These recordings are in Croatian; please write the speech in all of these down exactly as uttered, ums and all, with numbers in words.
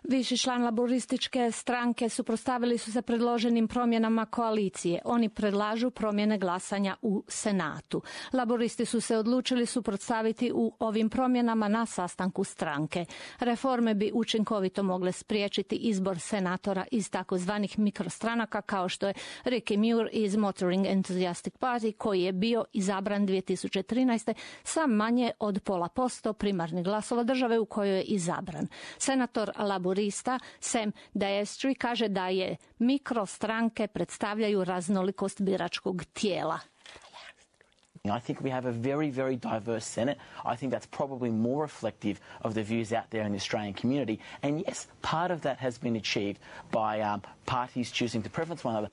Viši član laborističke stranke suprotstavili su se predloženim promjenama koalicije. Oni predlažu promjene glasanja u Senatu. Laboristi su se odlučili suprotstaviti u ovim promjenama na sastanku stranke. Reforme bi učinkovito mogle spriječiti izbor senatora iz takozvanih mikrostranaka kao što je Ricky Muir iz Motoring Enthusiastic Party koji je bio izabran dvije tisuće trinaeste sa manje od pola posto primarnih glasova države u kojoj je izabran. Senator laborista Sam Daestri kaže da je mikrostranke predstavljaju raznolikost biračkog tijela. I think we have a very, very diverse Senate. I think that's probably more reflective of the views out there in the Australian community. And yes, part of that has been achieved by um, parties choosing to preference one another.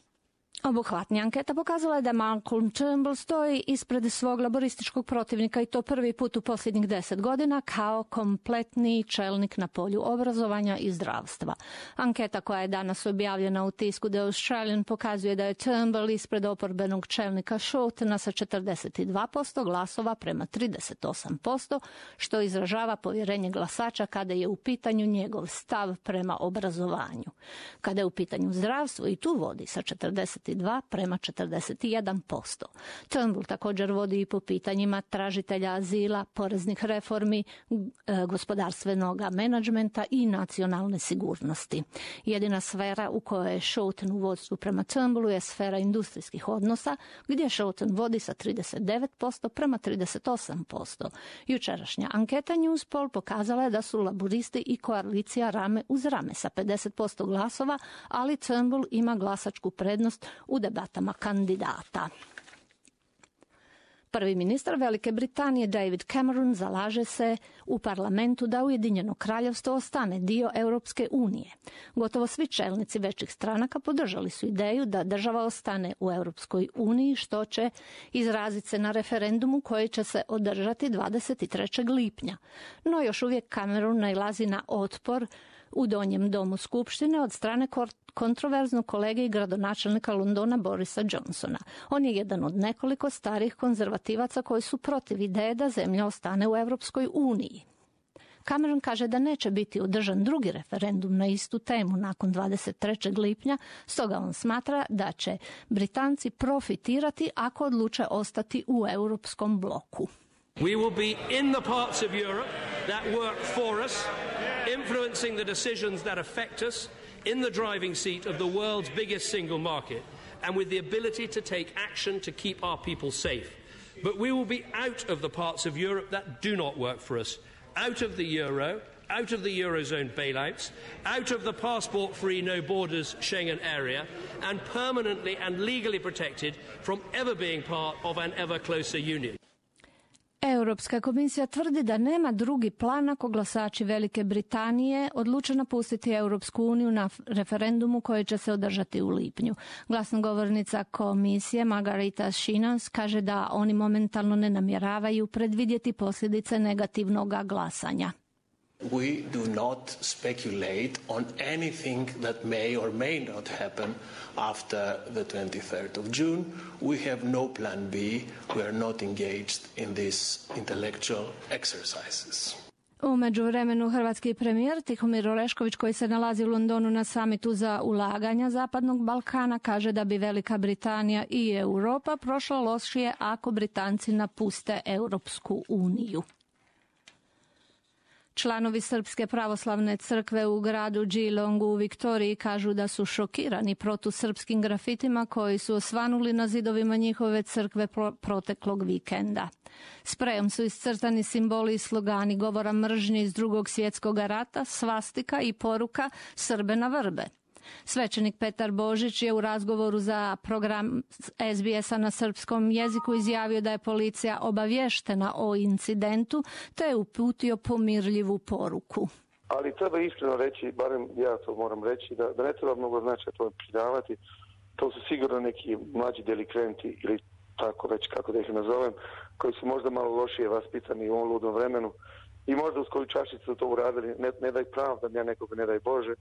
Obuhvatnija anketa pokazala je da Malcolm Turnbull stoji ispred svog laborističkog protivnika i to prvi put u posljednjih deset godina kao kompletni čelnik na polju obrazovanja i zdravstva. Anketa koja je danas objavljena u tisku The Australian pokazuje da je Turnbull ispred oporbenog čelnika Shortena sa četrdeset dva posto glasova prema trideset osam posto, što izražava povjerenje glasača kada je u pitanju njegov stav prema obrazovanju. Kada je u pitanju zdravstvo i tu vodi sa četrdeset dva prema četrdeset jedan posto. Turnbull također vodi i po pitanjima tražitelja azila, poreznih reformi, gospodarstvenog menadžmenta i nacionalne sigurnosti. Jedina sfera u kojoj je Shorten u vodstvu prema Turnbullu je sfera industrijskih odnosa, gdje Shorten vodi sa trideset devet posto prema trideset osam posto. Jučerašnja anketa Newspoll pokazala je da su laboristi i koalicija rame uz rame sa pedeset posto glasova, ali Turnbull ima glasačku prednost u debatama kandidata. Prvi ministar Velike Britanije David Cameron zalaže se u parlamentu da Ujedinjeno kraljevstvo ostane dio Europske unije. Gotovo svi čelnici većih stranaka podržali su ideju da država ostane u Europskoj uniji, što će izraziti se na referendumu koji će se održati dvadeset trećeg lipnja. No još uvijek Cameron nailazi na otpor u donjem domu skupštine od strane kontroverznog kolege i gradonačelnika Londona Borisa Johnsona. On je jedan od nekoliko starih konzervativaca koji su protiv ideje da zemlja ostane u Europskoj uniji. Cameron kaže da neće biti održan drugi referendum na istu temu nakon dvadeset trećeg lipnja, stoga on smatra da će Britanci profitirati ako odluče ostati u europskom bloku. We will be in the parts of Europe that work for us, influencing the decisions that affect us, in the driving seat of the world's biggest single market, and with the ability to take action to keep our people safe. But we will be out of the parts of Europe that do not work for us, out of the euro, out of the Eurozone bailouts, out of the passport-free, no borders Schengen area, and permanently and legally protected from ever being part of an ever closer union. Europska komisija tvrdi da nema drugi plan ako glasači Velike Britanije odluče napustiti Europsku uniju na referendumu koji će se održati u lipnju. Glasnogovornica komisije Margarita Schinas kaže da oni momentalno ne namjeravaju predvidjeti posljedice negativnog glasanja. We do not speculate on anything that may or may not happen after the twenty-third of June. We have no plan B. We are not engaged in these intellectual exercises. U međuvremenu hrvatski premijer Tihomir Orešković, koji se nalazi u Londonu na samitu za ulaganja Zapadnog Balkana, kaže da bi Velika Britanija i Europa prošla lošije ako Britanci napuste Europsku uniju. Članovi Srpske pravoslavne crkve u gradu Geelongu u Viktoriji kažu da su šokirani protusrpskim grafitima koji su osvanuli na zidovima njihove crkve proteklog vikenda. Sprejom su iscrtani simboli i slogani govora mržnje iz Drugog svjetskog rata, svastika i poruka Srbe na vrbe. Svećenik Petar Božić je u razgovoru za program S B S-a na srpskom jeziku izjavio da je policija obavještena o incidentu te je uputio pomirljivu poruku. Ali treba iskreno reći, barem ja to moram reći, da, da ne treba mnogo značaja to pridavati. To su sigurno neki mlađi delikventi ili tako već kako da ih nazovem, koji su možda malo lošije vaspitani u ovom ludom vremenu i možda uz koju čašicu to uradili, ne, ne daj pravdam ja nekoga, ne daj Bože,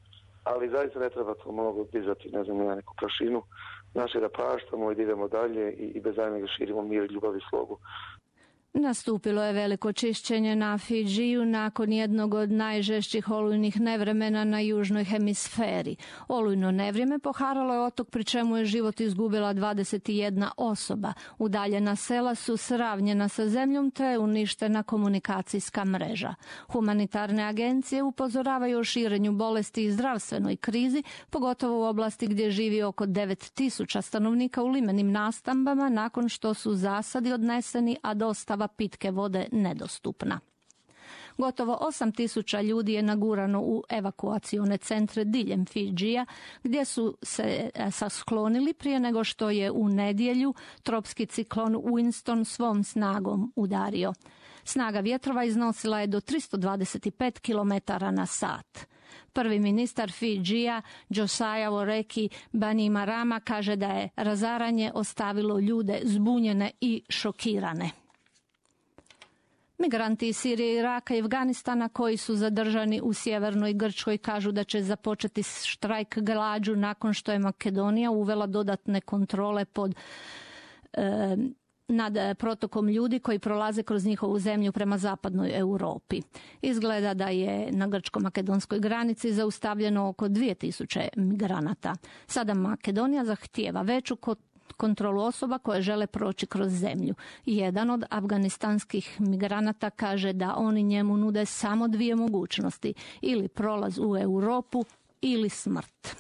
ali zaista ne treba to mnogo dizati, ne znam, na neku prašinu. Naše da praštamo i da idemo dalje i, i bez daljnjega širimo mir, ljubav i slogu. Nastupilo je veliko čišćenje na Fidžiju nakon jednog od najžešćih olujnih nevremena na južnoj hemisferi. Olujno nevrijeme poharalo je otok, pri čemu je život izgubila dvadeset jedna osoba. Udaljena sela su sravnjena sa zemljom te je uništena komunikacijska mreža. Humanitarne agencije upozoravaju o širenju bolesti i zdravstvenoj krizi, pogotovo u oblasti gdje živi oko devet tisuća stanovnika u limenim nastambama nakon što su zasadi odneseni, a dostava pitke vode nedostupna. Gotovo osam tisuća ljudi je nagurano u evakuacione centre diljem Fidžija, gdje su se sklonili prije nego što je u nedjelju tropski ciklon Winston svom snagom udario. Snaga vjetrova iznosila je do tristo dvadeset pet kilometara na sat. Prvi ministar Fidžija, Josiah Oreki Bainimarama, kaže da je razaranje ostavilo ljude zbunjene i šokirane. Migranti iz Sirije, Iraka i Afganistana koji su zadržani u sjevernoj Grčkoj kažu da će započeti štrajk glađu nakon što je Makedonija uvela dodatne kontrole pod e, nad protokom ljudi koji prolaze kroz njihovu zemlju prema zapadnoj Europi. Izgleda da je na grčko-makedonskoj granici zaustavljeno oko dvije tisuće migranata. Sada Makedonija zahtijeva veću kontrolu osoba koje žele proći kroz zemlju. Jedan od afganistanskih migranata kaže da oni njemu nude samo dvije mogućnosti, ili prolaz u Europu ili smrt.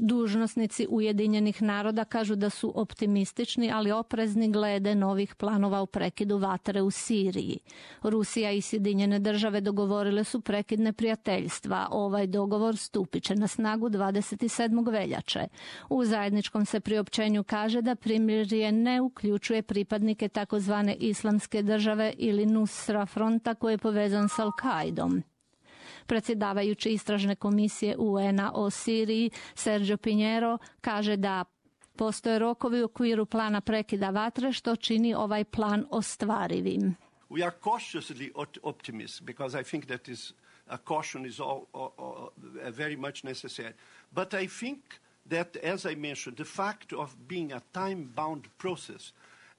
Dužnosnici Ujedinjenih naroda kažu da su optimistični, ali oprezni glede novih planova o prekidu vatre u Siriji. Rusija i Sjedinjene države dogovorile su prekid neprijateljstva. Ovaj dogovor stupit će na snagu dvadeset sedmog veljače. U zajedničkom se priopćenju kaže da primirje ne uključuje pripadnike takozvane Islamske države ili Nusra fronta koji je povezan s Al-Kaidom. Predsjedavajući istražne komisije U N-a o Siriji, Sergio Pinheiro, kaže da postoje rokovi u okviru plana prekida vatre, što čini ovaj plan ostvarivim. We are cautiously optimistic because I think that is a caution is all, all, all, very much necessary. But I think that, as I mentioned, the fact of being a time-bound process,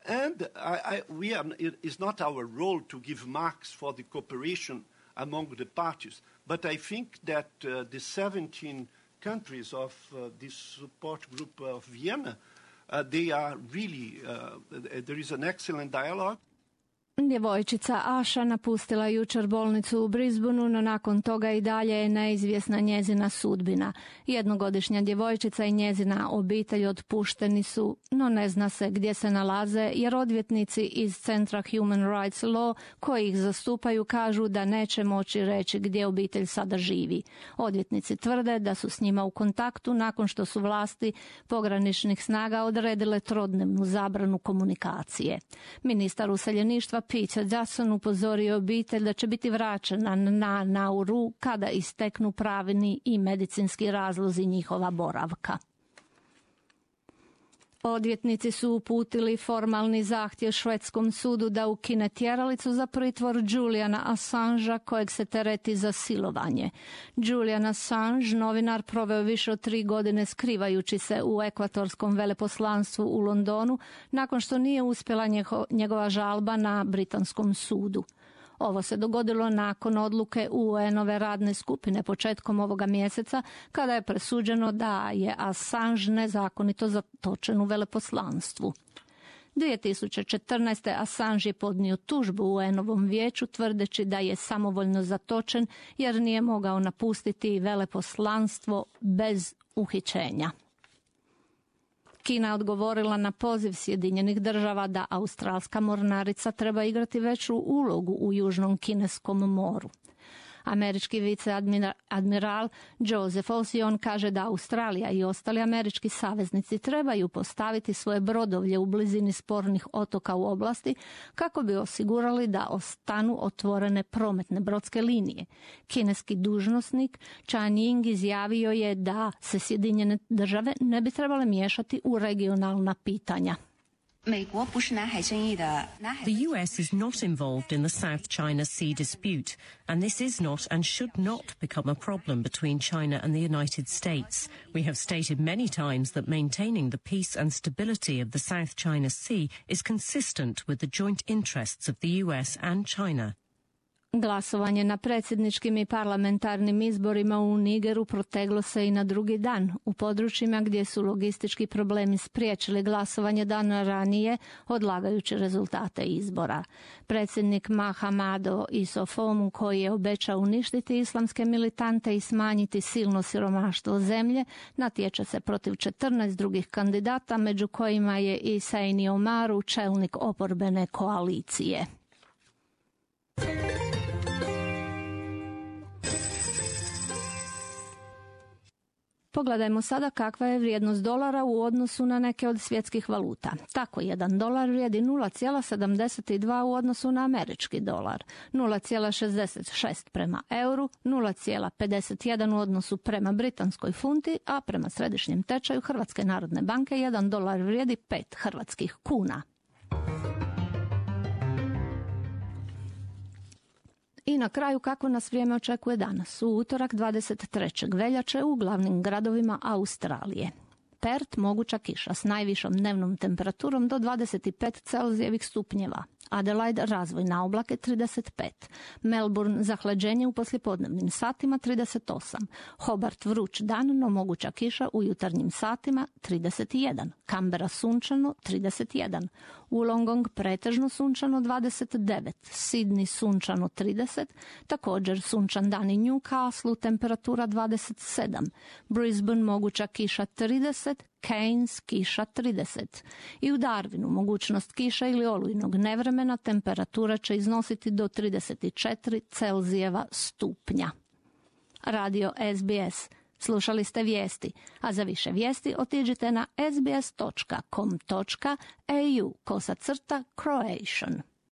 and I, I, we are, it is not our role to give marks for the cooperation among the parties, but I think that uh, the seventeen countries of uh, this support group of Vienna, uh, they are really, uh, there is an excellent dialogue. Djevojčica Aša napustila jučer bolnicu u Brisbaneu, no nakon toga i dalje je neizvjesna njezina sudbina. Jednogodišnja djevojčica i njezina obitelj otpušteni su, no ne zna se gdje se nalaze, jer odvjetnici iz Centra Human Rights Law koji ih zastupaju kažu da neće moći reći gdje obitelj sada živi. Odvjetnici tvrde da su s njima u kontaktu nakon što su vlasti pograničnih snaga odredile trodnevnu zabranu komunikacije. Ministar useljeništva Peter Dutton upozorio obitelj da će biti vraćena na Nauru kada isteknu pravni i medicinski razlozi njihova boravka. Odvjetnici su uputili formalni zahtjev švedskom sudu da ukine tjeralicu za pritvor Juliana Assangea kojeg se tereti za silovanje. Julian Assange, novinar, proveo više od tri godine skrivajući se u ekvatorskom veleposlanstvu u Londonu nakon što nije uspjela njegova žalba na britanskom sudu. Ovo se dogodilo nakon odluke U N-ove radne skupine početkom ovoga mjeseca, kada je presuđeno da je Assange nezakonito zatočen u veleposlanstvu. dvije tisuće četrnaeste. Assange je podnio tužbu U N-ovom vijeću tvrdeći da je samovoljno zatočen jer nije mogao napustiti veleposlanstvo bez uhićenja. Kina je odgovorila na poziv Sjedinjenih država da australska mornarica treba igrati veću ulogu u Južnom kineskom moru. Američki viceadmiral Joseph Ossion kaže da Australija i ostali američki saveznici trebaju postaviti svoje brodovlje u blizini spornih otoka u oblasti kako bi osigurali da ostanu otvorene prometne brodske linije. Kineski dužnosnik Chan Ying izjavio je da se Sjedinjene države ne bi trebale miješati u regionalna pitanja. The U S is not involved in the South China Sea dispute, and this is not and should not become a problem between China and the United States. We have stated many times that maintaining the peace and stability of the South China Sea is consistent with the joint interests of the U S and China. Glasovanje na predsjedničkim i parlamentarnim izborima u Nigeru proteglo se i na drugi dan. U područjima gdje su logistički problemi spriječili glasovanje dana ranije, odlagajući rezultate izbora. Predsjednik Mahamadou Issoufou, koji je obećao uništiti islamske militante i smanjiti silno siromaštvo zemlje, natječe se protiv četrnaest drugih kandidata, među kojima je i Sani Omaru, čelnik oporbene koalicije. Pogledajmo sada kakva je vrijednost dolara u odnosu na neke od svjetskih valuta. Tako, jedan dolar vrijedi nula zarez sedamdeset dva u odnosu na američki dolar, nula zarez šezdeset šest prema euru, nula zarez pedeset jedan u odnosu prema britanskoj funti, a prema središnjem tečaju Hrvatske narodne banke jedan dolar vrijedi pet hrvatskih kuna. I na kraju, kako nas vrijeme očekuje danas, u utorak dvadeset trećeg veljače u glavnim gradovima Australije. Perth moguća kiša s najvišom dnevnom temperaturom do dvadeset pet Celzijevih stupnjeva. Adelaide razvoj na oblake trideset pet. Melbourne zahlađenje u poslijepodnevnim satima trideset osam. Hobart vruć dan, no moguća kiša u jutarnjim satima trideset jedan. Canberra sunčano trideset jedan. Wollongong pretežno sunčano dvadeset devet. Sydney sunčano trideset. Također sunčan dan i Newcastle temperatura dvadeset sedam. Brisbane moguća kiša trideset. Cairns kiša trideset. I u Darwinu mogućnost kiša ili olujnog nevremena, temperatura će iznositi do trideset četiri Celzijeva stupnja. Radio S B S. Slušali ste vijesti, a za više vijesti otiđite na sbs točka com točka a u kosa crta Croatian.